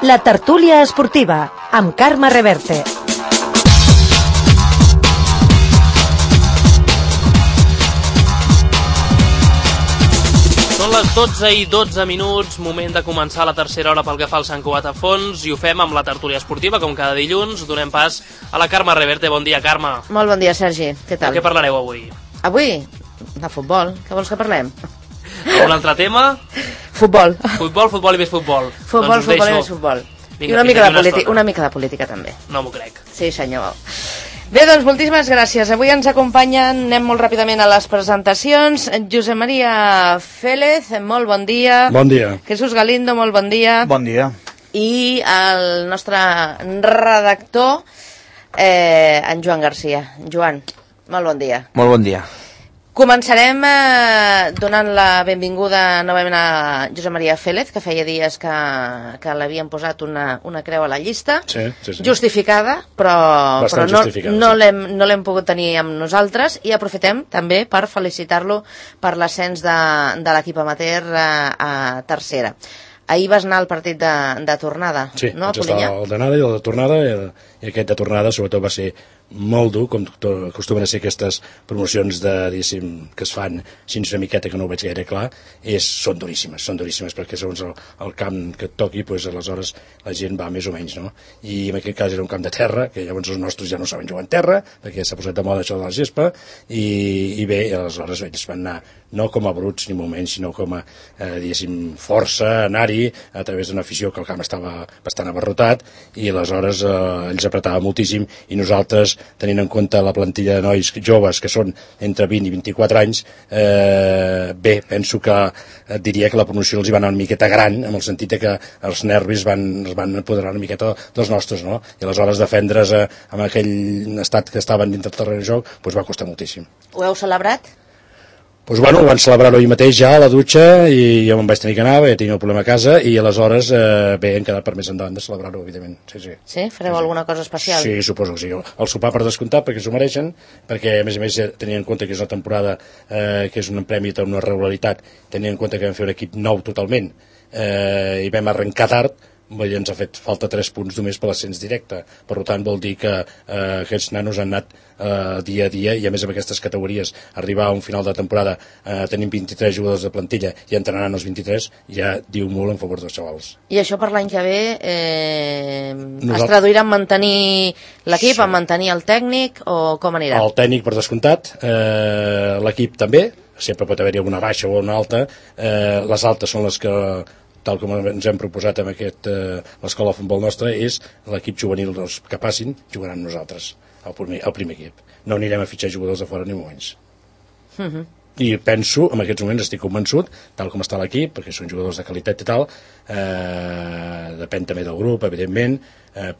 La tertúlia esportiva, amb Carme Reverte. Són les 12:12, moment de començar la tercera hora pel que fa al Sant Cugat a fons, i ho fem amb la tertúlia esportiva, com cada dilluns. Donem pas a la Carme Reverte. Bon dia, Carme. Molt bon dia, Sergi. Què tal? De què parlareu avui? Avui? De futbol. Què vols que parlem? Un altre tema? Futbol. Futbol i més futbol. Futbol i més futbol. Vinga, I una mica de política també. No m'ho crec. Sí, senyor. Bé, doncs moltíssimes gràcies. Avui ens acompanyen, anem molt ràpidament a les presentacions. Josep Maria Félez, molt bon dia. Bon dia. Jesús Galindo, molt bon dia. Bon dia. I el nostre redactor, en Joan Garcia. Joan, molt bon dia. Molt bon dia. Començarem donant la benvinguda novament a Josep Maria Félez, que feia dies que l'havien posat una creu a la llista. Sí. Justificada, però justificada, no l'hem pogut tenir amb nosaltres, i aprofitem també per felicitar-lo per l'ascens de l'equip amateur a tercera. Ahir vas anar al partit de tornada, sí, no, a Polinyà? Sí, Polinyà? el d'anada i el de tornada, i aquest de tornada sobretot va ser molt dur, com acostumen a ser aquestes promocions diguéssim, que es fan així una miqueta que no ho veig gaire clar, són duríssimes, perquè segons el camp que et toqui, doncs aleshores la gent va més o menys, no? I en aquest cas era un camp de terra, que llavors els nostres ja no saben jugar en terra, perquè s'ha posat de moda això de la gespa, i bé, aleshores ells van anar no com a bruts ni molt menys, sinó com a, diguéssim, força, anar-hi a través d'una afició que el camp estava bastant abarrotat, i aleshores ells apretaven moltíssim, i nosaltres, tenint en compte la plantilla de nois joves que són entre 20 i 24 anys, bé, penso que diria que la promoció els hi va anar una miqueta gran, en el sentit que els nervis es van apoderar una miqueta dels nostres, no? I aleshores defendre's amb aquell estat que estaven dintre del terreny de joc, doncs va costar moltíssim. Ho heu celebrat? Doncs bueno, ho van celebrar ahir mateix ja a la dutxa, i jo me'n vaig tenir que anar, ja tenia un problema a casa, i aleshores bé, hem quedat per més endavant de celebrar-ho, evidentment. Sí? Fareu alguna cosa especial? Sí, suposo que sí. El sopar per descomptat, perquè s'ho mereixen, perquè a més tenint en compte que és una temporada que és un premi d'una regularitat, tenint en compte que vam fer un equip nou totalment, i vam arrencar tard, ens ha fet falta 3 punts només per l'ascens directe. Per tant, vol dir que aquests nanos han anat dia a dia, i a més amb aquestes categories arribar a un final de temporada tenint 23 jugadors de plantilla i entrenant els 23 ja diu molt en favor dels xavals. I això per l'any que ve es traduirà en mantenir l'equip, sí, en mantenir el tècnic, o com anirà? El tècnic per descomptat, l'equip també, sempre pot haver-hi alguna baixa o una alta, les altes són les que, tal com ens hem proposat amb l'escola de futbol nostra, és l'equip juvenil que passin, jugaran nosaltres, el primer equip. No anirem a fitxar jugadors de fora ni moments. I penso, en aquests moments estic convençut, tal com està l'equip, perquè són jugadors de qualitat i tal, depèn també del grup, evidentment,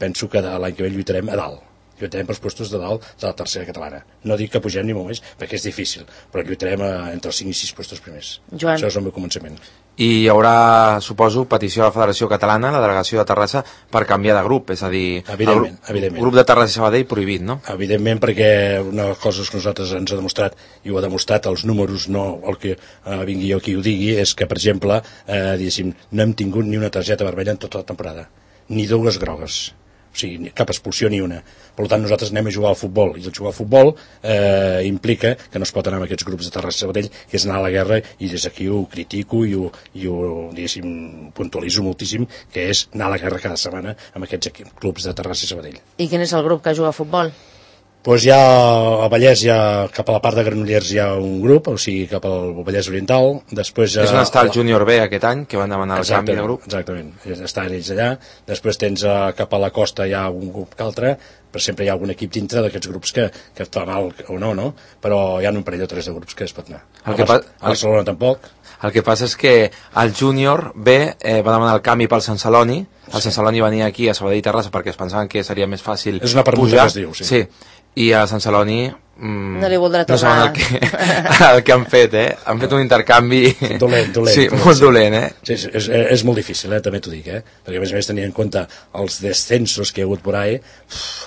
penso que l'any que ve lluitarem a dalt. Lluitarem pels postos de dalt de la tercera catalana. No dic que pugem ni molt més, perquè és difícil, però lluitarem entre els 5 i 6 postos primers. Joan. Això és el meu començament. I hi haurà, suposo, petició a la Federació Catalana, la delegació de Terrassa, per canviar de grup, és a dir, evidentment. El grup de Terrassa i Sabadell prohibit, no? Evidentment, perquè una de les coses que nosaltres ens ha demostrat, i ho ha demostrat els números, no el que vingui jo qui ho digui, és que, per exemple, no hem tingut ni una targeta vermella en tota la temporada, ni 2 grogues. O sigui, cap expulsió ni una. Per tant, nosaltres anem a jugar al futbol, i el jugar al futbol implica que no es pot anar amb aquests grups de Terrassa i Sabadell, que és anar a la guerra, i des d'aquí ho critico i ho diguéssim, puntualitzo moltíssim, que és anar a la guerra cada setmana amb aquests clubs de Terrassa i Sabadell. I quin és el grup que juga a futbol? Doncs ja a Vallès, cap a la part de Granollers hi ha un grup, o sigui, cap al Vallès Oriental. Després, és on està el Júnior B aquest any, que van demanar el canvi de grup. Exactament, estan ells allà. Després tens cap a la costa hi ha un grup que altre, però sempre hi ha algun equip dintre d'aquests grups que està mal o no, però hi ha un parell o 3 de grups que es pot anar. A Barcelona tampoc. El que passa és que el Júnior B va demanar el canvi pel Sant Celoni. El Sant Celoni venia aquí a Sabadell i Terrassa perquè es pensaven que seria més fàcil pujar. És una permuta que es diu, sí. I a Sant Celoni no li voldrà no tornar. el que han fet, Han fet un intercanvi... Dolent. Sí, molt dolent, Sí, és molt difícil, també t'ho dic, Perquè, a més, tenint en compte els descensos que hi ha hagut por ahí,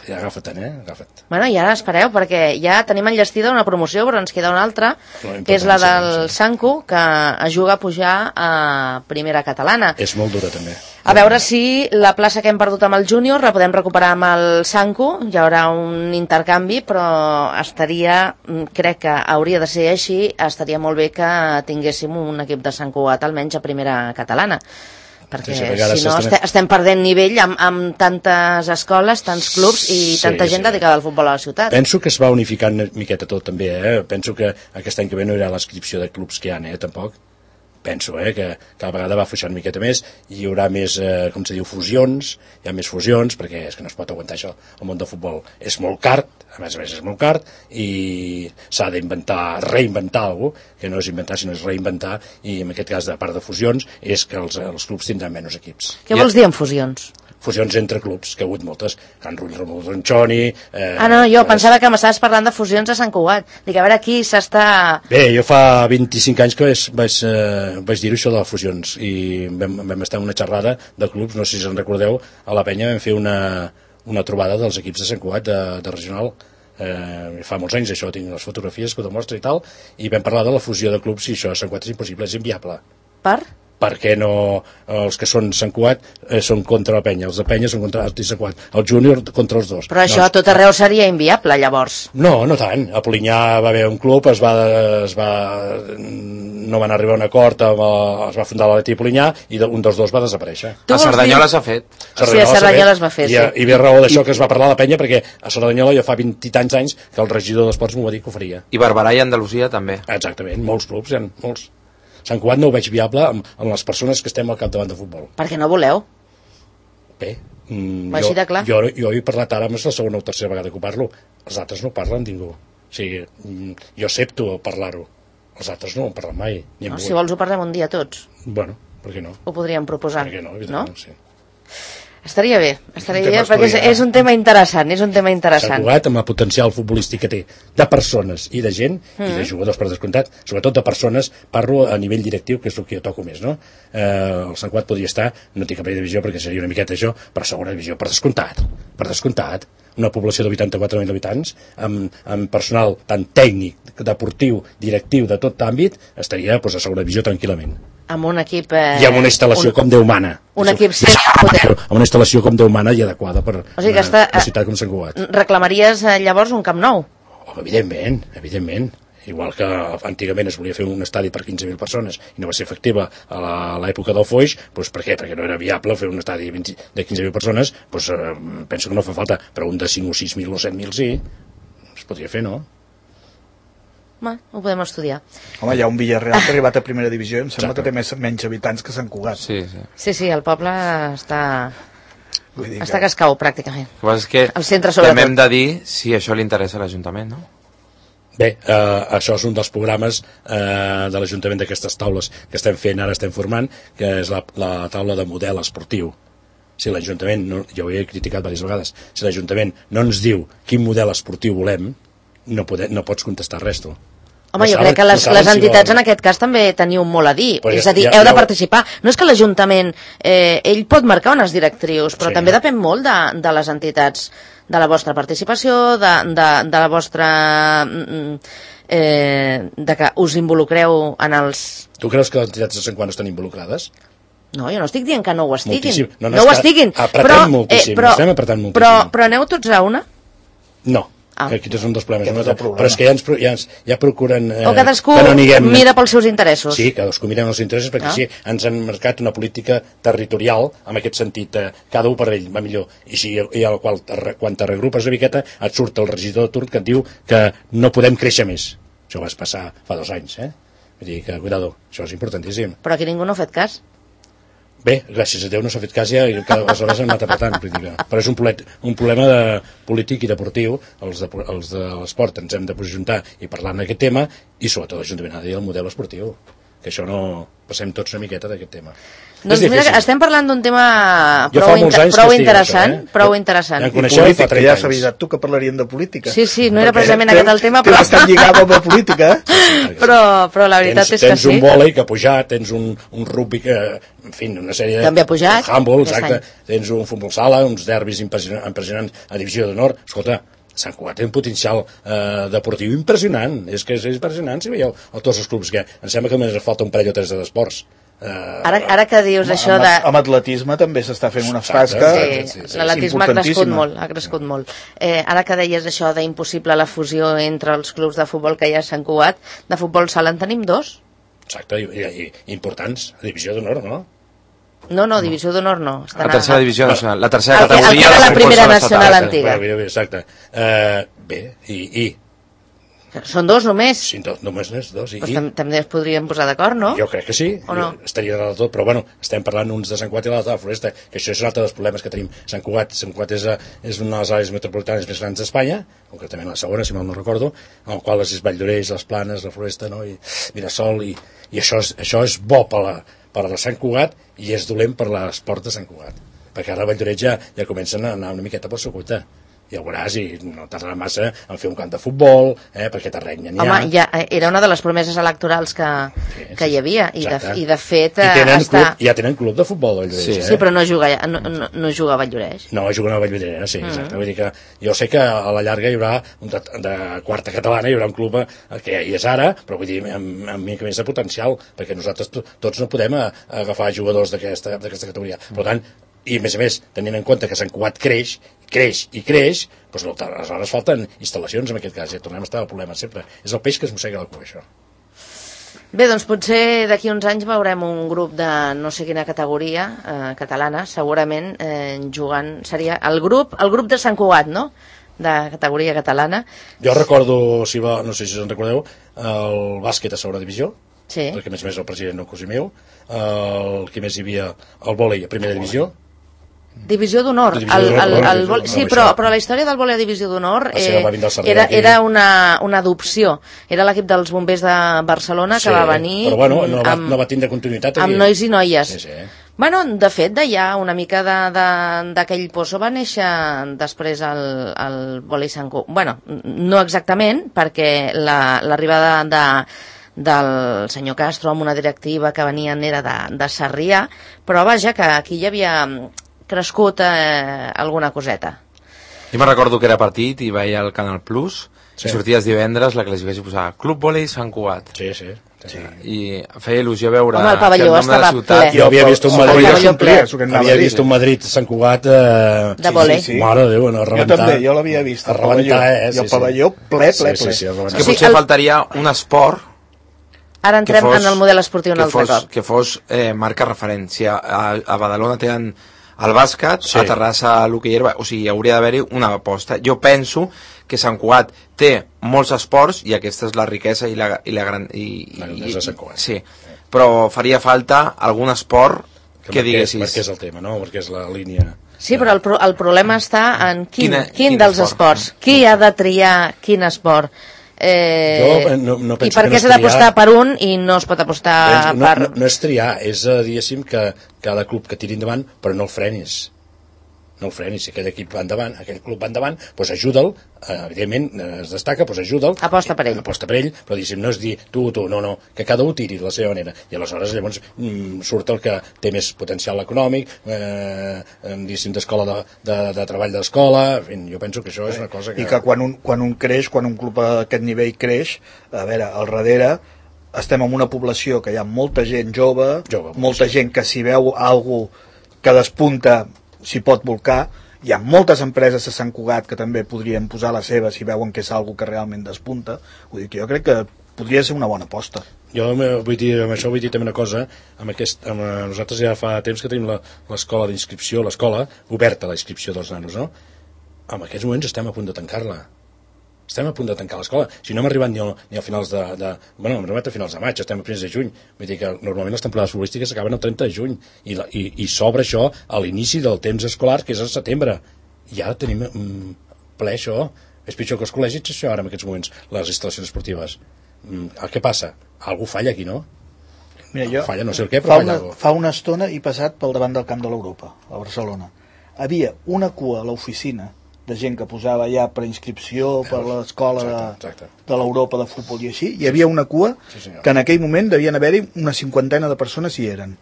ja agafa't, agafa't. Bueno, i ara espereu, perquè ja tenim enllestida una promoció, però ens queda una altra, que és la del Sanku, que juga a pujar a primera catalana. És molt dura, també. A veure si la plaça que hem perdut amb el júnior la podem recuperar amb el Sanku. Hi haurà un intercanvi, però crec que hauria de ser així, estaria molt bé que tinguéssim un equip de Sant Cugat almenys a primera catalana, perquè si no estem perdent nivell amb tantes escoles, tants clubs i tanta gent dedicada al futbol a la ciutat. Penso que es va unificant una miqueta tot també, penso que aquest any que ve no hi haurà l'inscripció de clubs que hi ha, tampoc. Penso que cada vegada va afluixant una miqueta més i hi haurà més, com se diu, fusions, hi ha més fusions, perquè és que no es pot aguantar això. El món del futbol és molt car, a més és molt car, i s'ha d'inventar, reinventar alguna cosa, que no és inventar, sinó és reinventar, i en aquest cas, a part de fusions, és que els clubs tindran menys equips. Què vols dir amb fusions? Fusions entre clubs, que hi ha hagut moltes, Can Rull, Ramon Ronchoni... no, jo pensava que m'estaves parlant de fusions a Sant Cugat. Dic, a veure aquí s'està... Bé, jo fa 25 anys que vaig dir això de les fusions, i vam estar en una xerrada de clubs, no sé si se'n recordeu, a la Penya vam fer una trobada dels equips de Sant Cugat, de regional, fa molts anys, això, tinc les fotografies que ho demostra i tal, i vam parlar de la fusió de clubs, i això a Sant Cugat és impossible, és inviable. Per? Perquè no, els que són Sant Cugat són contra la Penya, els de Penya són contra Sant Cugat, el júnior contra els dos. Però això a tot arreu seria inviable, llavors. No tant. A Polinyà va haver un club, no van arribar a un acord, es va fundar l'Atleti Polinyà i un dels dos va desaparèixer. A Cerdanyola s'ha fet. Sí, a Cerdanyola es va fer, sí. I ve raó d'això que es va parlar a la Penya, perquè a Cerdanyola ja fa 20 i tants anys que el regidor d'Esports m'ho va dir que ho faria. I Barberà i Andalusia també. Exactament, molts clubs, molts. Sant Cugat no ho veig viable amb les persones que estem al capdavant de futbol. Per què no voleu? Bé, jo he parlat ara, és la segona o tercera vegada que ho parlo. Els altres no parlen ningú. O sigui, jo accepto parlar-ho. Els altres no ho parlen mai. Si vols ho parlem un dia tots. Bueno, per què no? Ho podríem proposar. Per què no? Evidentment, sí. Estaria bé, perquè és un tema interessant, Sant Cugat, amb el potencial futbolístic que té de persones i de gent, i de jugadors per descomptat, sobretot de persones, parlo a nivell directiu, que és el que jo toco més, no? El Sant Cugat podria estar, no tinc cap divisió perquè seria una miqueta això, però segona divisió, per descomptat, una població de 84.000 habitants, amb personal tant tècnic, deportiu, directiu, de tot àmbit, estaria a segona divisió tranquil·lament. Amb un equip... I amb una instal·lació com Déu mana. Un equip amb una instal·lació com Déu mana i adequada per una ciutat com Sant Cugat. Reclamaries llavors un Camp Nou? Evidentment. Igual que antigament es volia fer un estadi per 15.000 persones i no va ser efectiva a l'època del Foix, doncs per què? Perquè no era viable fer un estadi de 15.000 persones, doncs penso que no fa falta, però un de 5 o 6.000 o 7.000 sí, es podria fer, no? Ho podem estudiar. Home, hi ha un Villarreal que ha arribat a primera divisió i em sembla que té menys habitants que Sant Cugat. Sí, el poble està que es cau, pràcticament. El que el centre, sobretot. També hem de dir si això li interessa a l'Ajuntament, no? Bé, això és un dels programes de l'Ajuntament d'aquestes taules que estem fent, ara estem formant, que és la taula de model esportiu. Si l'Ajuntament, jo ho he criticat diverses vegades, si l'Ajuntament no ens diu quin model esportiu volem, no pots contestar res, tu. Home, jo crec que les entitats en aquest cas també teniu molt a dir, és a dir, heu de participar. No és que l'Ajuntament, ell pot marcar unes directrius, però també depèn molt de les entitats, de la vostra participació, de la vostra... de que us involucreu en els... Tu creus que les entitats de Sant Cugat no estan involucrades? No, jo no estic dient que no ho estiguin. No ho estiguin. Apretem moltíssim, estem apretant moltíssim. Però aneu tots a una? No. Aquest és un dels problemes. Però és que ja procuren o cadascú mira pels seus interessos. Sí, cadascú mira els interessos perquè sí, ens han marcat una política territorial en aquest sentit, cada un per ell va millor, i al qual quan te regrupes una miqueta et surt el regidor de turn que et diu que no podem créixer més. Això va passar fa 2 anys, vull dir que, cuidado, això és importantíssim. Però aquí ningú no ha fet cas. Bé, gràcies a Déu no s'ha fet cas ja i aleshores hem anat apretant, però és un problema polític i deportiu. Els de l'esport ens hem de posicionar i parlar en aquest tema, i sobretot l'Ajuntament ha de dir el model esportiu. que això no passem tots una miqueta d'aquest tema. Doncs mira, estem parlant d'un tema prou interessant. Ja I política, ja has avisat tu que parlarien de política. Sí, no era precisament aquest el tema, però... T'has estat lligada amb la política, però la veritat és que sí. Tens un vòlei que ha pujat, tens un rugby que, en fi, una sèrie de... També ha pujat. Handball, exacte. Tens un futbol sala, uns derbis impressionants a Divisió d'Honor. Escolta, Sant Cugat té un potencial deportiu impressionant. És que és impressionant, si veieu tots els clubs que... Em sembla que només falta un parell o tres d'esports. Ara que dius això de... Amb atletisme també s'està fent una tasca. Sí, l'atletisme ha crescut molt. Ara que deies això d'impossible la fusió entre els clubs de futbol que hi ha a Sant Cugat, de futbol sala en tenim 2. Exacte, i importants, a Divisió d'Honor, no? No, Divisió d'Honor no. La tercera divisió nacional, la tercera categoria... El que era la primera nacional antiga. Exacte. Bé, i... Són 2 només. Sí, només n'és 2. També es podrien posar d'acord, no? Jo crec que sí, no? Estaria de tot, però bueno, estem parlant uns de Sant Cugat i l'altre de la Floresta, que això és un altre dels problemes que tenim. Sant Cugat és una de les àrees metropolitanes més grans d'Espanya, concretament la segona, si mal no recordo, en el qual és Valldoreix, les Planes, la Floresta, no? I Mirasol, i això és bo per a Sant Cugat i és dolent per l'esport de Sant Cugat, perquè ara Valldoreix ja comencen a anar una miqueta per la cuita. Ja ho veuràs, i no tardarà massa en fer un camp de futbol, perquè terreny n'hi ha. Home, era una de les promeses electorals que hi havia, i de fet... Ja tenen club de futbol, Valldoreix. Sí, però no juga a Valldoreix. No, juguen a Valldoreix, sí, exacte. Vull dir que jo sé que a la llarga hi haurà, de quarta catalana, hi haurà un club que hi és ara, però vull dir, amb mica més de potencial, perquè nosaltres tots no podem agafar jugadors d'aquesta categoria. Per tant, i a més, tenint en compte que Sant Cugat creix, doncs aleshores falten instal·lacions en aquest cas, ja tornem a estar al problema sempre. És el peix que es mossega la cua, això. Bé, doncs potser d'aquí uns anys veurem un grup de no sé quina categoria catalana, segurament jugant, seria el grup de Sant Cugat, no?, de categoria catalana. Jo recordo, no sé si us en recordeu, el bàsquet a segona divisió, perquè a més el president no cosí meu, el que més hi havia, el vòlei a primera divisió. Divisió d'Honor. Sí, però la història del vòlei a Divisió d'Honor era una adopció. Era l'equip dels bombers de Barcelona que va venir... Però bueno, no va tindre continuïtat. Amb nois i noies. Bueno, de fet, d'allà una mica d'aquell pozo va néixer després el vòlei Sant Cugat. Bueno, no exactament, perquè l'arribada del senyor Castro amb una directiva que venien era de Sarrià, però vaja, que aquí hi havia crescut alguna coseta. Jo me'n recordo que era partit i veia el Canal Plus i sorties divendres, la classificació posava Club Vòlei Sant Cugat. Sí. I feia il·lusió veure el pavelló estava ple. Jo havia vist un Madrid Sant Cugat de vòlei. Mare de Déu, a rebentar. Jo també, jo l'havia vist, i el pavelló ple. És que potser faltaria un esport ara entrem en el model esportiu un altre cop. Que fos marca referència. A Badalona tenen el bàsquet, a Terrassa l'hoquei herba, o sigui, hauria d'haver-hi una aposta. Jo penso que Sant Cugat té molts esports i aquesta és la riquesa i la gran... és de Sant Cugat. Sí, però faria falta algun esport que diguessis... Perquè és el tema, no? Perquè és la línia... Sí, però el problema està en quin dels esports. Qui ha de triar quin esport? No i per què s'ha d'apostar per un i no es pot apostar per... No és triar, és diguéssim que cada club que tiri endavant, però no el frenis. Si aquell equip va endavant, aquell club va endavant, doncs ajuda'l, evidentment es destaca, doncs ajuda'l. Aposta per ell, però diguéssim, no és dir tu, no, que cada un tiri de la seva manera. I aleshores llavors surt el que té més potencial econòmic, diguéssim, d'escola de treball d'escola, en fi, jo penso que això és una cosa que... I que quan un creix, quan un club a aquest nivell creix, a veure, al darrere estem en una població que hi ha molta gent jove, molta gent que si veu algú que despunta s'hi pot volcar, hi ha moltes empreses a Sant Cugat que també podrien posar la seva si veuen que és algo que realment despunta. Vull dir que jo crec que podria ser una bona aposta. Jo vull dir, amb això vull dir també una cosa, nosaltres ja fa temps que tenim l'escola d'inscripció, l'escola oberta a la inscripció dels nanos, no? En aquests moments estem a punt de tancar-la. Estem a punt de tancar l'escola. Si no hem arribat ni a finals hem arribat a finals de maig, estem a primers de juny. Vull dir que normalment les temporades futbolístiques acaben el 30 de juny i s'obre això a l'inici del temps escolar, que és al setembre. I ara tenim ple això. És pitjor que els col·legis, això, ara en aquests moments, les instal·lacions esportives. Què passa? Algú falla aquí, no? Mira, jo falla no sé el què, però falla alguna cosa. Fa una estona he passat pel davant del camp de l'Europa, a Barcelona. Havia una cua a l'oficina de gent que posava ja preinscripció per l'escola de l'Europa de futbol i així. Hi havia una cua que en aquell moment devien haver-hi una 50 de persones hi eren.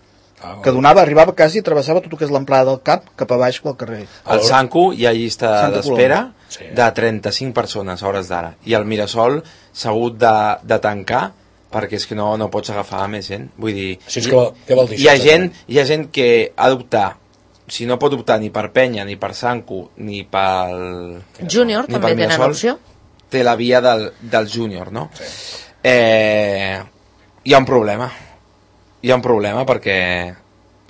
Que arribava quasi i travessava tot el que és l'amplada del camp cap a baix pel carrer. Al Sanku hi ha llista d'espera de 35 persones a hores d'ara. I el Mirasol s'ha hagut de tancar perquè és que no pots agafar més gent. Vull dir, què vol dir hi ha gent que ha d'optar, si no pot optar ni per Penya, ni per Sanku, ni pel Júnior, també tenen opció. Té la via del júnior, no? Hi ha un problema. Hi ha un problema perquè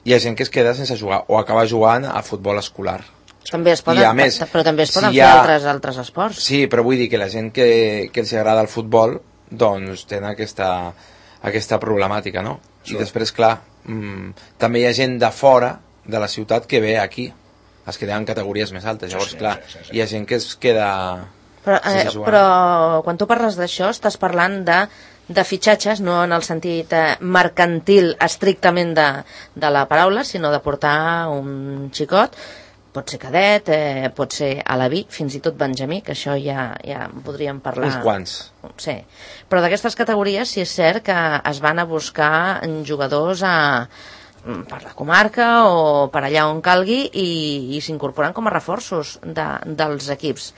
hi ha gent que es queda sense jugar o acaba jugant a futbol escolar. També es poden, però també es poden fer altres esports. Sí, però vull dir que la gent que els agrada el futbol doncs tenen aquesta problemàtica, no? I després, clar, també hi ha gent de fora de la ciutat que ve aquí, es queda en categories més altes. Llavors, clar, hi ha gent que es queda però quan tu parles d'això estàs parlant de fitxatges, no en el sentit mercantil estrictament de la paraula, sinó de portar un xicot, pot ser cadet, pot ser alaví, fins i tot benjamí, que això ja podríem parlar. Uns quants. Sí, però d'aquestes categories sí és cert que es van a buscar jugadors per la comarca o per allà on calgui i s'incorporen com a reforços dels equips.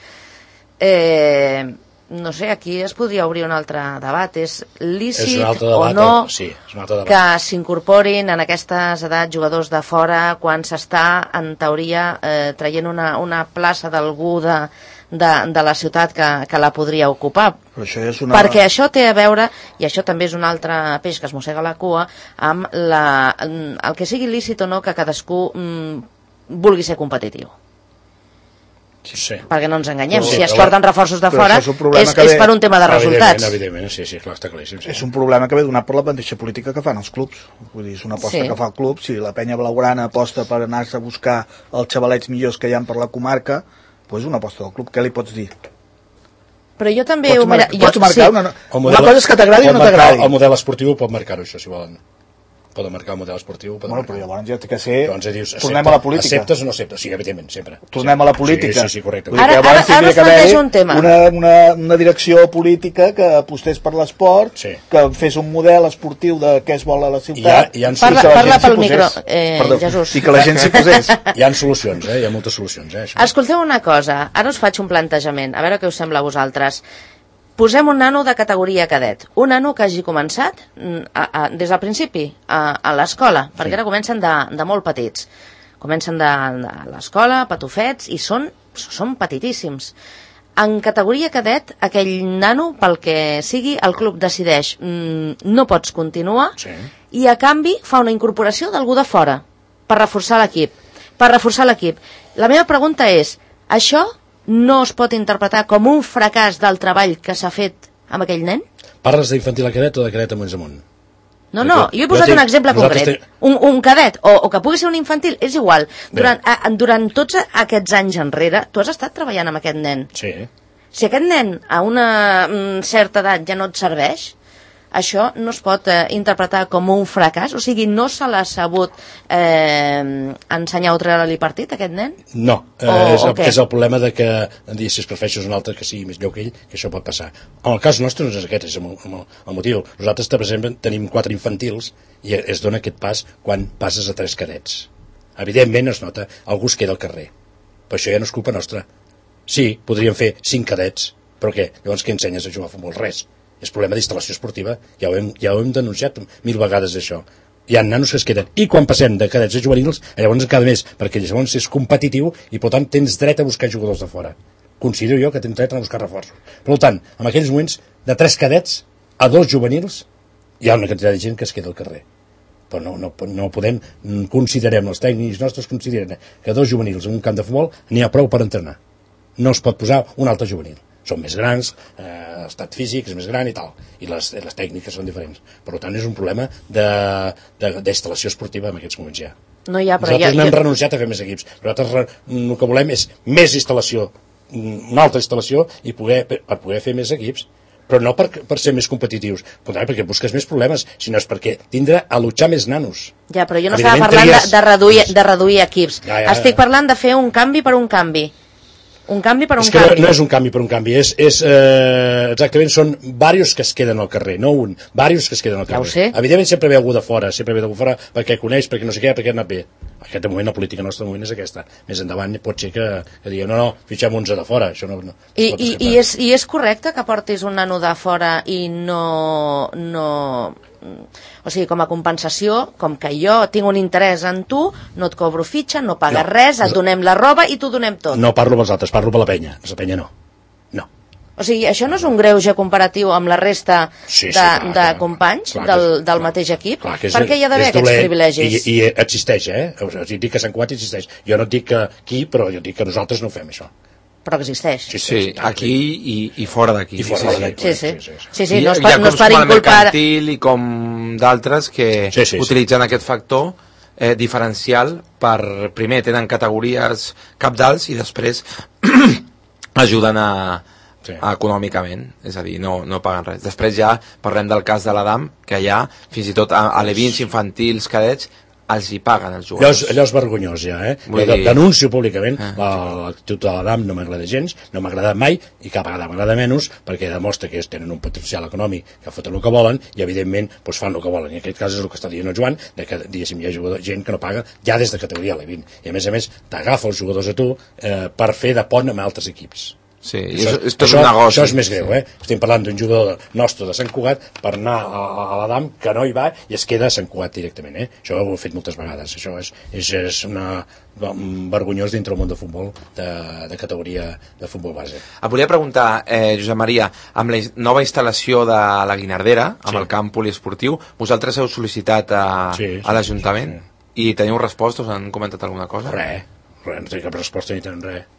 No sé, aquí es podria obrir un altre debat. És lícit o no que s'incorporin en aquestes edats jugadors de fora quan s'està, en teoria, traient una plaça d'algú de la ciutat que la podria ocupar? Perquè això té a veure, i això també és un altre peix que es mossega la cua, amb el que sigui lícit o no que cadascú vulgui ser competitiu. Sí. Perquè no ens enganyem, si es porten reforços de fora és per un tema de resultats. Evidentment, sí, clar, està claríssim. És un problema que ve donat per la mateixa política que fan els clubs. Vull dir, és una aposta que fa el club. Si la penya blaugrana aposta per anar-se a buscar els xavalets millors que hi ha per la comarca, doncs una aposta del club, què li pots dir? Però jo també... Pots marcar una cosa és que t'agradi o no t'agradi. El model esportiu pot marcar-ho, això, si volen. Poden marcar el model esportiu. Però llavors ja té que ser... Tornem a la política. Acceptes o no acceptes? Sí, evidentment, sempre. Tornem a la política. Sí, correcte. Ara es planteja un tema. Una direcció política que apostés per l'esport, que fes un model esportiu de què es vol a la ciutat. Parla pel micro, Jesús. I que la gent s'hi posés. Hi ha solucions, hi ha moltes solucions. Escolteu una cosa, ara us faig un plantejament, a veure què us sembla a vosaltres. Posem un nano de categoria cadet, un nano que hagi començat des del principi a l'escola, perquè ara comencen de molt petits. Comencen de l'escola, patufets, i són petitíssims. En categoria cadet, aquell nano, pel que sigui, el club decideix no pots continuar i a canvi fa una incorporació d'algú de fora per reforçar l'equip. La meva pregunta és, això no es pot interpretar com un fracàs del treball que s'ha fet amb aquell nen? Parles d'infantil a cadet o de cadet a Mons amunt? No, jo he posat un exemple concret. Un cadet, o que pugui ser un infantil, és igual. Durant tots aquests anys enrere, tu has estat treballant amb aquest nen. Sí. Si aquest nen a una certa edat ja no et serveix, això no es pot interpretar com un fracàs? O sigui, no se l'ha sabut ensenyar o treure-li partit, aquest nen? No, és el problema de que si es prefereixes un altre que sigui més lleu que ell, que això pot passar. En el cas nostre no és aquest, és el motiu. Nosaltres, per exemple, tenim 4 infantils i es dona aquest pas quan passes a 3 cadets. Evidentment es nota, algú es queda al carrer. Però això ja no és culpa nostra. Sí, podríem fer 5 cadets, però què? Llavors què ensenyes a jugar a futbol? Res. És problema d'instal·lació esportiva, ja ho hem denunciat 1000 vegades això. Hi ha nanos que es queden, i quan passem de cadets a juvenils, llavors cada mes, perquè llavors és competitiu i per tant tens dret a buscar jugadors de fora. Considero jo que tens dret a buscar reforços. Per tant, en aquells moments, de 3 cadets a 2 juvenils, hi ha una quantitat de gent que es queda al carrer. Però no podem, considerem, els tècnics nostres consideren que 2 juvenils en un camp de futbol n'hi ha prou per entrenar. No es pot posar un altre juvenil. Són més grans, l'estat físic és més gran i tal, i les tècniques són diferents. Per tant, és un problema d'instal·lació esportiva en aquests moments ja. Nosaltres no hem renunciat a fer més equips. Nosaltres el que volem és més instal·lació, una altra instal·lació, i per poder fer més equips. però no per ser més competitius, perquè busques més problemes, sinó és perquè tindre a luchar més nanos. Ja, però jo no estava parlant de reduir equips. Estic parlant de fer un canvi per un canvi. Un canvi per un canvi. És que no és un canvi per un canvi, exactament són diversos que es queden al carrer, no un, diversos que es queden al carrer. Ja ho sé. Evidentment sempre ve algú de fora, perquè coneix, perquè no sé què, perquè ha anat bé. Aquest moment, la política nostra de moment és aquesta. Més endavant pot ser que diguem, no, fitxem uns de fora. Això no I és correcte que portis un nano de fora i no... O sigui, com a compensació, com que jo tinc un interès en tu, no et cobro fitxa, no pagues res, et donem la roba i t'ho donem tot. No parlo pels altres, parlo per la penya. La penya no. O sigui, això no és un greuge comparatiu amb la resta de companys del mateix equip? Per què hi ha d'haver aquests privilegis? I existeix, O sigui, dic que Sant Cugat existeix. Jo no et dic que aquí, però jo dic que nosaltres no ho fem, això. Però existeix. Sí, aquí i fora d'aquí. Sí, no es per inculpar... I com d'altres que utilitzen aquest factor diferencial per, primer, tenen categories cabdals i després ajuden econòmicament, és a dir, no paguen res. Després ja parlem del cas de l'Adam, que ja, fins i tot a alevins infantils, cadets, els hi paguen els jugadors. Allò és vergonyós ja, Denuncio públicament l'actitud de l'Adam, no m'agrada gens, no m'ha agradat mai i cap vegada m'agrada menys perquè demostra que tenen un potencial econòmic que foten el que volen i evidentment fan el que volen. I en aquest cas és el que està dient el Joan, que diguéssim hi ha gent que no paga ja des de categoria Alevin i a més t'agafa els jugadors a tu per fer de pont amb altres equips. Sí, és tot un negoci. Això és més greu, Estem parlant d'un jugador nostre de Sant Cugat per anar a l'Adam, que no hi va i es queda a Sant Cugat directament, Això ho he fet moltes vegades. Això és vergonyós dintre el món de futbol, de categoria de futbol base. Et volia preguntar, Josep Maria, amb la nova instal·lació de la Guinardera, amb el camp poliesportiu, vosaltres heu sol·licitat a l'Ajuntament i teniu resposta? Us han comentat alguna cosa? Res, no té cap resposta ni tenen res.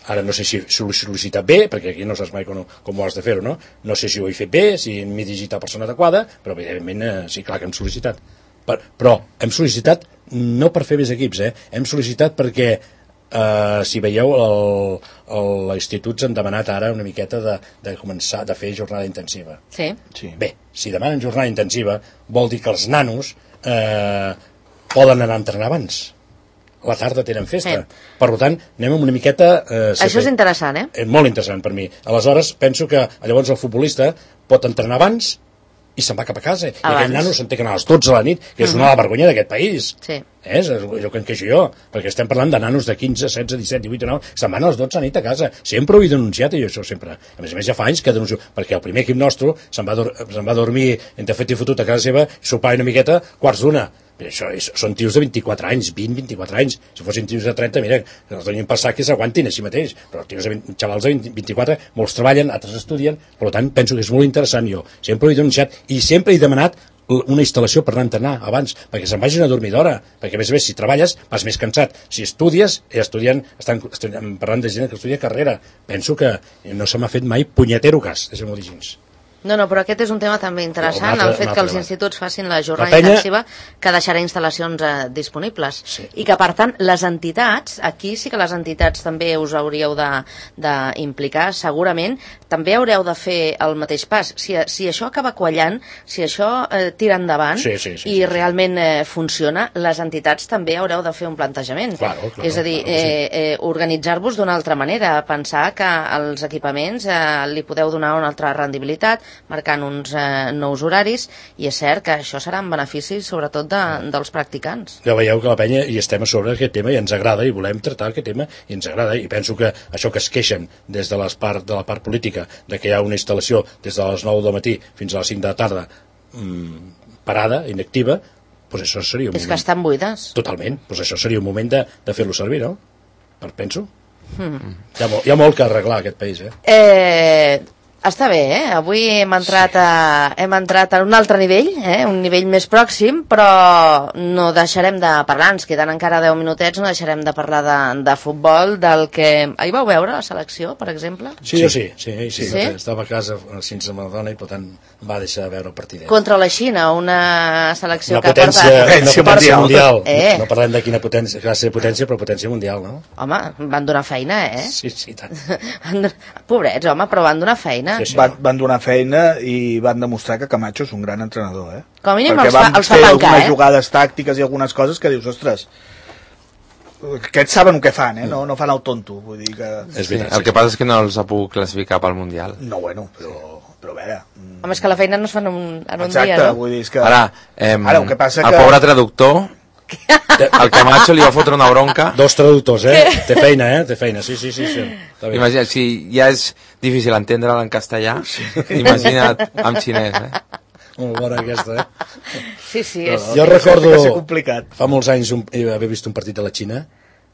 Ara no sé si ho he sol·licitat bé, perquè aquí no saps mai com ho has de fer-ho, no? No sé si ho he fet bé, si m'he dirigit a la persona adequada, però evidentment sí, clar que hem sol·licitat. Però hem sol·licitat no per fer més equips, hem sol·licitat perquè, si veieu, l'institut s'han demanat ara una miqueta de començar a fer jornada intensiva. Sí. Bé, si demanen jornada intensiva, vol dir que els nanos poden anar a entrenar abans. A la tarda tenen festa. Per tant, anem amb una miqueta... Això és interessant, És molt interessant per mi. Aleshores, penso que llavors el futbolista pot entrenar abans i se'n va cap a casa. I aquell nano se'n té que anar a les 12 de la nit, que és una vergonya d'aquest país. Sí. És allò que em queixo jo, perquè estem parlant de nanos de 15, 16, 17, 18, 19, se'n van a les 12 de la nit a casa. Sempre ho he denunciat, i això sempre. A més ja fa anys que denuncio, perquè el primer equip nostre se'n va dormir entre fet i fotut a casa seva, sopar una miqueta, quarts d'una. Això són tios de 24 anys, 20, 24 anys. Si fossin tios de 30, mira, els donin passar que s'aguantin així mateix. Però xavals de 24, molts treballen, altres estudien, per tant, penso que és molt interessant. Jo sempre ho he denunciat i sempre he demanat una instal·lació per anar a entrenar abans, perquè se'n vagin a dormir d'hora, perquè a més si treballes vas més cansat. Si estudies, estan parlant de gent que estudia carrera. Penso que no se m'ha fet mai punyetero cas, deixem-ho dir així. No, però aquest és un tema també interessant, el fet que els instituts facin la jornada intensiva, que deixarà instal·lacions disponibles. I que, per tant, les entitats, aquí sí que les entitats també us hauríeu d'implicar, segurament, també haureu de fer el mateix pas. Si això acaba quallant, si això tira endavant i realment funciona, les entitats també haureu de fer un plantejament. És a dir, organitzar-vos d'una altra manera, pensar que als equipaments li podeu donar una altra rendibilitat, marcant uns nous horaris, i és cert que això serà en benefici sobretot dels practicants. Ja veieu que la penya hi estem a sobre d'aquest tema i ens agrada i volem tractar aquest tema i ens agrada, i penso que això que es queixen des de la part política de que hi ha una instal·lació des de les 9 del matí fins a les 5 de la tarda parada, inactiva, doncs això seria un moment... És que estan buides. Totalment, doncs això seria un moment de fer-lo servir, no? Penso. Hi ha molt que arreglar aquest país, Està bé, avui hem entrat a un altre nivell, un nivell més pròxim, però no deixarem de parlar, ens queden encara 10 minutets, no deixarem de parlar de futbol, del que... Ahir vau veure la selecció, per exemple? Sí. Estava a casa sense ma dona i per tant va deixar de veure el partidet. Contra la Xina, una selecció que porta... Una potència mundial. No parlem de quina classe de potència, però potència mundial, no? Home, van donar feina, Sí, tant. Pobrets, home, però van donar feina. feina. Sí. Van donar feina i van demostrar que Camacho és un gran entrenador, Com a mínim perquè els fa van fer tancar, algunes jugades tàctiques i algunes coses que dius, ostres, aquests saben el que fan, no fan el tonto, vull dir que... Sí, el que passa és que no els ha pogut classificar pel Mundial. No, bueno, però a veure... Home, és que la feina no es fa en un dia, Exacte, vull dir, és que... Ara, el que passa el que... pobre traductor, al Camacho li va fotre una bronca. 2 traductors, Té feina, té feina, sí. Imagina, si ja és difícil entendre'l en castellà, imagina't en xinès, Molt bona aquesta, Sí, Jo recordo, que ser complicat. fa molts anys haver vist un partit de la Xina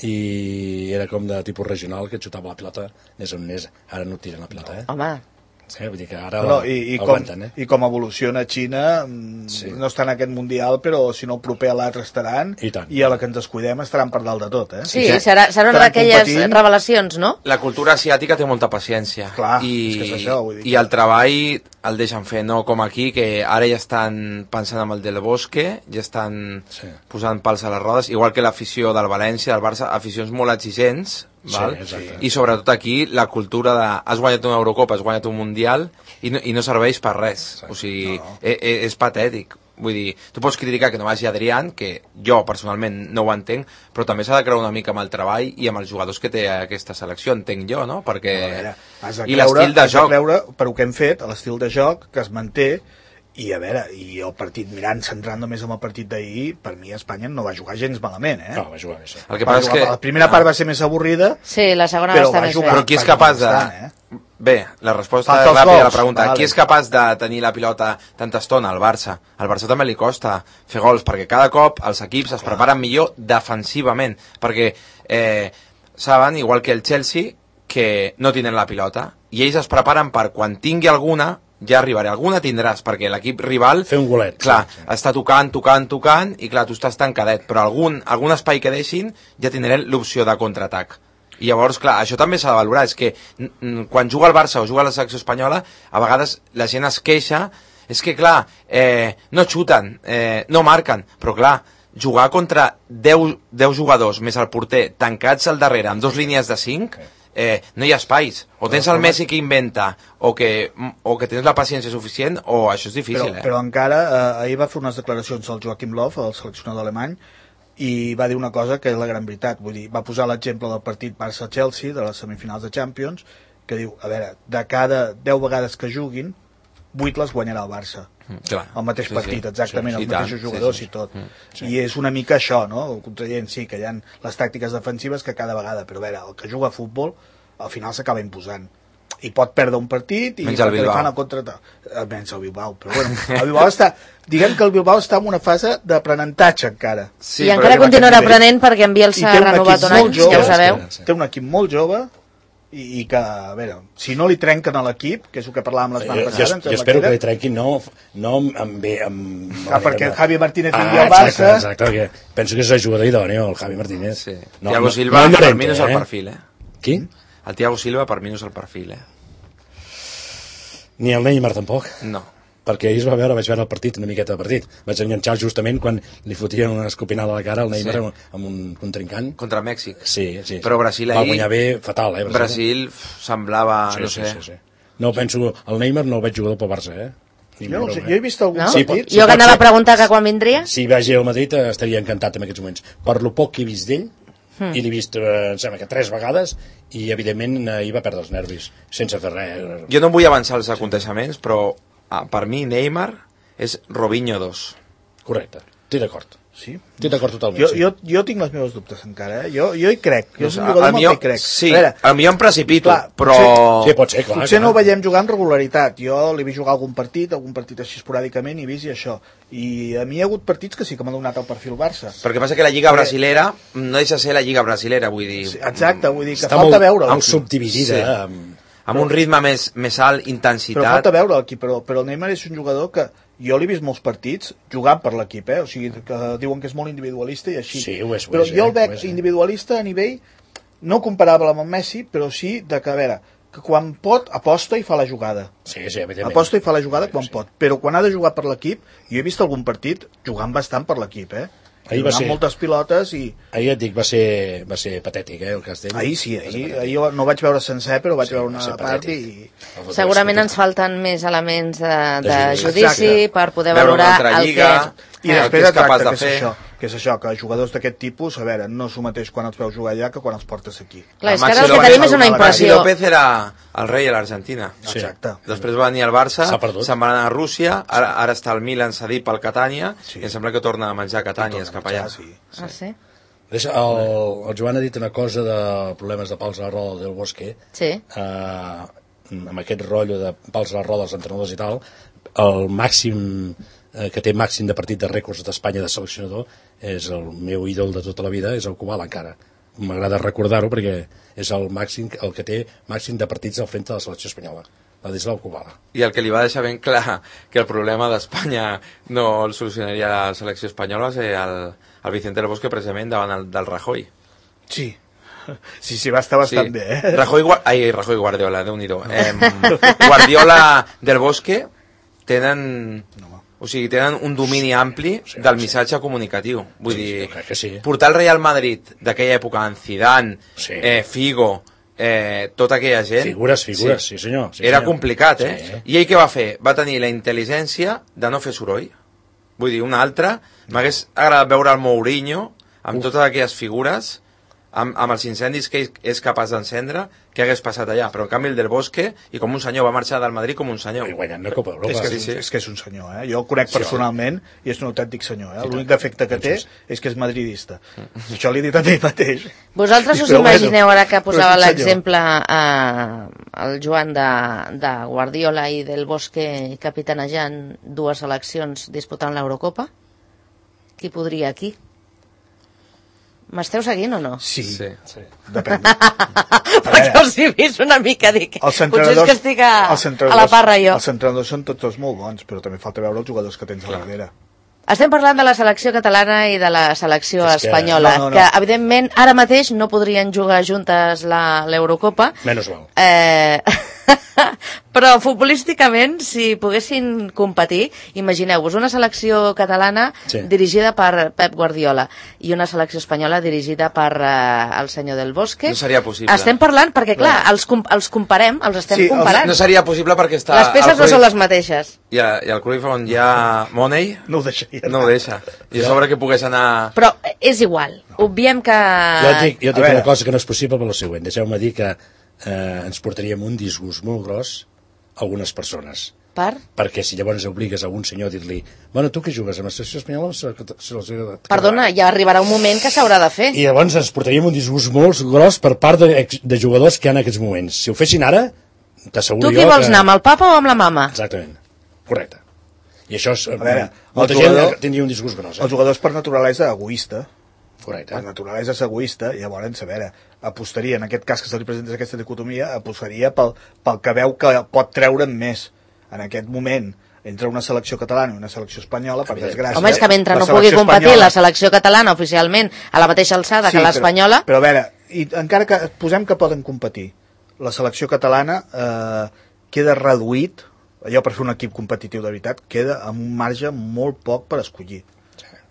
i era com de tipus regional, que xutava la pilota més on anés, ara no tiren la pilota, Home, Vull dir que ara I aguanten, com evoluciona Xina, no està en aquest Mundial, però si no el proper a l'altre estaran, i a la que ens descuidem estaran per dalt de tot, Sí, serà una d'aquelles revelacions, no? La cultura asiàtica té molta paciència. Clar, és que és això, vull dir. I el treball el deixen fer, no com aquí, que ara ja estan pensant en el del Bosque, ja estan posant pals a les rodes, igual que l'afició del València, del Barça, aficions molt exigents, val? I sobretot aquí la cultura de has guanyat una Eurocopa, has guanyat un Mundial i no serveix per res, o sigui, és patètic. Vull dir, tu pots criticar que no vagi Adrián, que jo personalment no ho entenc, però també s'ha de creure una mica amb el treball i amb els jugadors que té aquesta selecció, entenc jo, no? Perquè... I l'estil de joc. Per ho que hem fet, l'estil de joc que es manté, i a veure, i el partit, centrant només en el partit d'ahir, per mi Espanya no va jugar gens malament, No, va jugar bé, sí. El que passa és que... La primera part va ser més avorrida, Sí, la segona va estar més bé. Però qui és capaç de... Bé, la resposta és ràpida a la pregunta. Qui és capaç de tenir la pilota tanta estona? El Barça. Al Barça també li costa fer gols, perquè cada cop els equips es preparen millor defensivament, perquè saben, igual que el Chelsea, que no tenen la pilota, i ells es preparen per quan tingui alguna, ja arribaré. Alguna tindràs, perquè l'equip rival... Fer un golet. Clar, està tocant, i clar, tu estàs tancadet, però algun espai que deixin ja tindrem l'opció de contraatac. I llavors, clar, això també s'ha de valorar, és que quan juga el Barça o juga la selecció espanyola, a vegades la gent es queixa, és que clar, no xuten, no marquen, però clar, jugar contra 10 jugadors més el porter tancats al darrere amb 2 línies de 5, no hi ha espais, o tens el Messi que inventa o que tens la paciència suficient, o això és difícil. Però encara, ahir va fer unes declaracions al Joachim Löw, el seleccionador alemany, i va dir una cosa que és la gran veritat, vull dir, va posar l'exemple del partit Barça-Chelsea de les semifinals de Champions, que diu, a veure, de cada 10 vegades que juguin 8 les guanyarà el Barça, el mateix partit, exactament, els mateixos jugadors i tot, i és una mica això, no? Contradient, sí, que hi ha les tàctiques defensives que cada vegada, però a veure, el que juga a futbol al final s'acaba imposant i pot perdre un partit i perquè li fan el contraatac, menys el Bilbao, però bueno, el Bilbao està, diguem que el Bilbao està en una fase d'aprenentatge encara, i encara continuarà aprenent perquè en Bielsa ha renovat un any, ja ho sabeu. Té un equip molt jove i que, a veure, si no li trenquen a l'equip, que és el que parlàvem la setmana passada, jo espero que li trenquin no perquè Javi Martínez vingui al Barça, exacte, penso que és el jugador idòneo, el Javi Martínez. Thiago Silva per mi no és el perfil, Qui? El Thiago Silva per mi no és el perfil, Ni el Neymar tampoc. No. Perquè ahir vaig veure el partit, una miqueta de partit. Vaig enganxar justament quan li fotien una escopinada a la cara al Neymar amb un contrincant. Contra Mèxic. Sí. Però Brasil ahir... Va guanyar bé, fatal, Brasil semblava, no sé... No, penso, el Neymar no el veig jugador pel Barça, Jo no sé, jo he vist algun partit... Jo que anava a preguntar que quan vindria... Si vagi al Madrid estaria encantat en aquests moments. Per lo poc que he vist d'ell, i l'he vist, em sembla que 3 vegades, i evidentment ahir va perdre els nervis sense fer res. Jo no vull avançar els aconteixements, però per mi Neymar és Robinho 2. Correcte, estic d'acord. Sí? Estic d'acord totalment. Jo tinc les meves dubtes encara, Jo hi crec. Jo soc un jugador amb el que hi crec. Sí, potser em precipito, però... Sí, pot ser, clar. Potser no ho veiem jugar amb regularitat. Jo l'he vist jugar algun partit així esporàdicament i vist i això. I a mi hi ha hagut partits que sí que m'ha donat el perfil Barça. Perquè passa que la Lliga brasilera no deixa ser la Lliga brasilera, vull dir... Exacte, vull dir que falta veure l'equip. Està molt subdividida. Amb un ritme més alt, intensitat... Però falta veure l'equip, però el Neymar és un jugador que jo l'he vist molts partits jugant per l'equip, o sigui, que diuen que és molt individualista i així. Sí, ho és. Però jo el veig individualista a nivell, no comparable amb el Messi, però sí de que, a veure, que quan pot aposta i fa la jugada. Sí, evidentment. Aposta i fa la jugada quan pot, però quan ha de jugar per l'equip, jo he vist algun partit jugant bastant per l'equip, Ahir va ser moltes pilotes i... Ahir et dic, va ser patètic, el cas d'ell. Ahir sí, ahir no vaig veure sencer, però vaig veure una part i... Segurament ens falten més elements de judici per poder valorar el que és. I després exacte, que és això, que jugadors d'aquest tipus, a veure, no s'ho mateix quan els veus jugar allà que quan els portes aquí. Clar, és que ara el que tenim és una impressió. López era el rei a l'Argentina. Exacte. Després va venir al Barça, se'n va anar a Rússia, ara està al Milan cedit pel Catània, i em sembla que torna a menjar Catània, cap allà. Ah, sí? El Joan ha dit una cosa de problemes de pals a la roda del Bosque. Sí. Amb aquest rotllo de pals a la roda dels entrenadors i tal, el màxim que té màxim de partit de rècords d'Espanya de seleccionador és el meu ídol de tota la vida, és el Kubala encara. M'agrada recordar-ho perquè és el que té màxim de partits al frente de la selecció espanyola, Ladislau Kubala. I el que li va deixar ben clar que el problema d'Espanya no el solucionaria la selecció espanyola és el Vicente del Bosque precisament davant del Rajoy. Sí, va estar bastant bé. Rajoy Guardiola, Déu-n'hi-do. Guardiola del Bosque tenen un domini ampli del missatge comunicatiu. Vull dir, portar el Real Madrid d'aquella època en Zidane, Figo, tota aquella gent... Figures, sí senyor. Era complicat, I ell què va fer? Va tenir la intel·ligència de no fer soroll. Vull dir, una altra, m'hagués agradat veure el Mourinho amb totes aquelles figures, amb els incendis que és capaç d'encendre, què hagués passat allà. Però en canvi el del Bosque, i com un senyor, va marxar del Madrid com un senyor. I guanyant la Copa d'Europa. És que és un senyor, Jo el conec personalment i és un autèntic senyor, L'únic defecte que té és que és madridista. Això li he dit a ell mateix. Vosaltres us imagineu, ara que posava l'exemple el Joan de Guardiola i del Bosque capitanejant dues seleccions disputant l'Eurocopa? Qui podria aquí? M'esteu seguint o no? Sí. Depèn. Perquè us he vist una mica, dic, potser és que estic a la parra jo. Els entrenadors són tots molt bons, però també falta veure els jugadors que tens a la darrere. Estem parlant de la selecció catalana i de la selecció espanyola, que evidentment ara mateix no podrien jugar juntes l'Eurocopa. Menys mal. Però futbolísticament, si poguessin competir, imagineu-vos una selecció catalana dirigida per Pep Guardiola i una selecció espanyola dirigida per el senyor del Bosque. No seria possible. Estem parlant perquè, clar, els comparem, els estem comparant. No seria possible perquè està... Les peces no són les mateixes. I el Cruyff on hi ha Money no ho deixaria. No ho deixa. I a sobre que pogués anar... Però és igual. Obviem que... Jo dic una cosa que no és possible per la següent. Deixeu-me dir que ens portaríem un disgust molt gros a algunes persones. Perquè si llavors obligues a un senyor a dir-li tu que jugues amb la selecció espanyola... Perdona, ja arribarà un moment que s'haurà de fer. I llavors ens portaríem un disgust molt gros per part de jugadors que hi ha en aquests moments. Si ho fessin ara, t'asseguro jo que... Tu qui vols anar, amb el papa o amb la mama? Exactament, correcte. I això és... Molta gent tindria un disgust gros. Els jugadors per naturalesa egoista. Correcte. Per naturalesa és egoista, i llavors, a veure, apostaria, en aquest cas que se li presenta aquesta dicotomia, apostaria pel que veu que pot treure'n més. En aquest moment, entre una selecció catalana i una selecció espanyola, per desgràcia... Home, és que mentre no pugui competir la selecció catalana oficialment a la mateixa alçada que l'espanyola... Però a veure, encara que posem que poden competir, la selecció catalana queda reduït, allò per fer un equip competitiu de veritat, queda amb un marge molt poc per escollir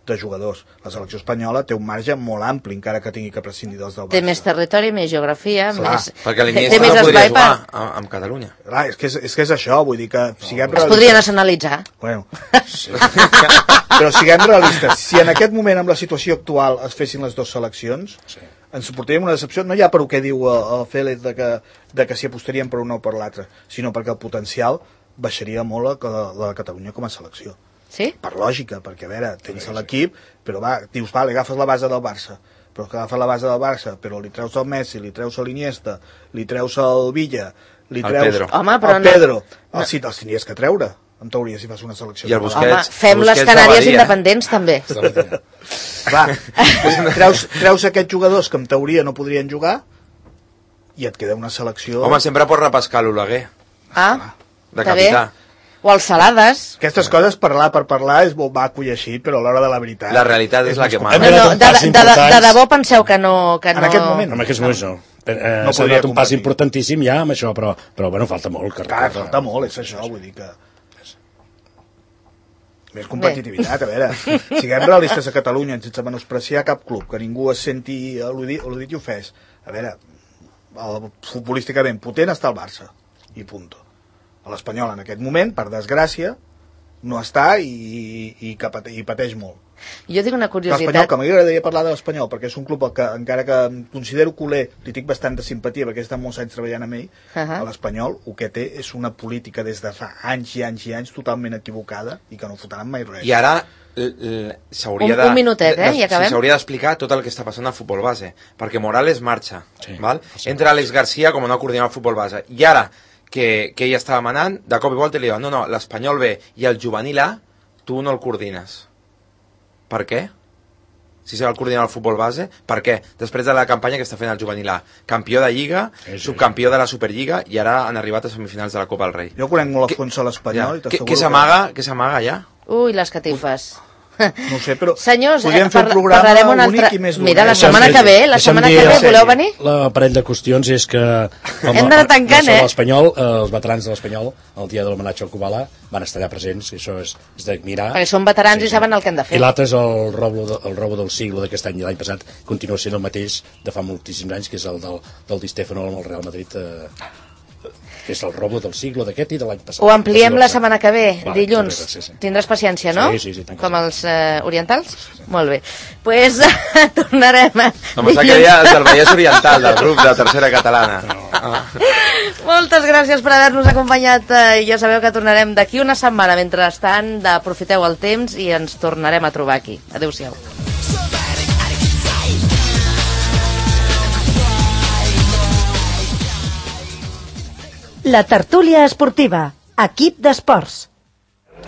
de jugadors. La selecció espanyola té un marge molt ampli, encara que tingui que prescindir dels del Barça. Té més territori, més geografia, perquè l'Iniesta no podria jugar amb Catalunya. Clar, és que és això, vull dir que siguem realistes. Es podria nacionalitzar. Bueno, però siguem realistes. Si en aquest moment, amb la situació actual, es fessin les dues seleccions, ens suportaríem una decepció, no ja per el que diu el Félix de que s'hi apostaríem per una o per l'altra, sinó perquè el potencial baixaria molt la Catalunya com a selecció. Sí? Per lògica, perquè a veure, tens l'equip, però dius, vale, agafes la base del Barça, però que agafes la base del Barça, però li treus el Messi, li treus l'Iniesta, li treus el Villa, li treus Pedro. Home, però el Pedro, els tindries que treure, en teoria, si fas una selecció. I el Busquets, home, fem les Canàries independents, també. Clar, treus aquests jugadors que en teoria no podrien jugar i et queda una selecció... Home, sempre pots repescar l'Oleguer. De capità. O els Salades. Aquestes coses, parlar per parlar, és molt maco i així, però a l'hora de la veritat... La realitat és la que mana. De debò penseu que no... En aquest moment. En aquests moments no. S'ha donat un pas importantíssim ja amb això, però bueno, falta molt. Falta molt, és això, vull dir que... Més competitivitat, a veure, siguem realistes a Catalunya, sense menospreciar cap club, que ningú es senti al·ludit i ofès. A veure, futbolísticament potent està el Barça, i punto. L'Espanyol en aquest moment, per desgràcia, no està i pateix molt. Jo tinc una curiositat. L'Espanyol, que m'agradaria parlar de l'Espanyol, perquè és un club que, encara que em considero culer, li tinc bastanta simpatia, perquè he estat molts anys treballant amb ell, l'Espanyol, el que té és una política des de fa anys i anys i anys totalment equivocada i que no fotran mai res. I ara s'hauria un minutet, i acabem. S'hauria d'explicar tot el que està passant al futbol base, perquè Morales marxa, val? Entra Alex García com a nou coordinador del futbol base, i ara que ell estava manant, de cop i volta li diuen, no, l'Espanyol B i el juvenil A, tu no el coordines. Per què? Si serà el coordinador del futbol base, per què? Després de la campanya que està fent el juvenil A, campió de Lliga, subcampió de la Superliga i ara han arribat a semifinals de la Copa del Rei. Jo conec molt a fons a l'Espanyol. Què s'amaga allà? Ui, les catifes. No sé, però senyors, podríem fer un programa bonic i més dolent. Mira, la setmana que ve, voleu venir? La parell de qüestions és que hem d'anar tancant, l'Espanyol, els veterans de l'Espanyol, el dia de l'homenatge al Kubala, van estar allà presents, i això és d'admirar. Perquè són veterans i saben el que han de fer. I l'altre és el robo del siglo d'aquest any i l'any passat, continua sent el mateix de fa moltíssims anys, que és el del Di Stefano amb el Real Madrid, que és el robo del siglo d'aquest i de l'any passat. Ho ampliem la setmana que ve, dilluns. Tindràs paciència, no? Sí. Com els orientals? Molt bé. Doncs tornarem a... No, m'està que deia del Vallès Oriental, del grup de Tercera Catalana. Moltes gràcies per haver-nos acompanyat. Ja sabeu que tornarem d'aquí una setmana. Mentrestant, aprofiteu el temps i ens tornarem a trobar aquí. Adéu-siau. La tertúlia esportiva, equip d'esports.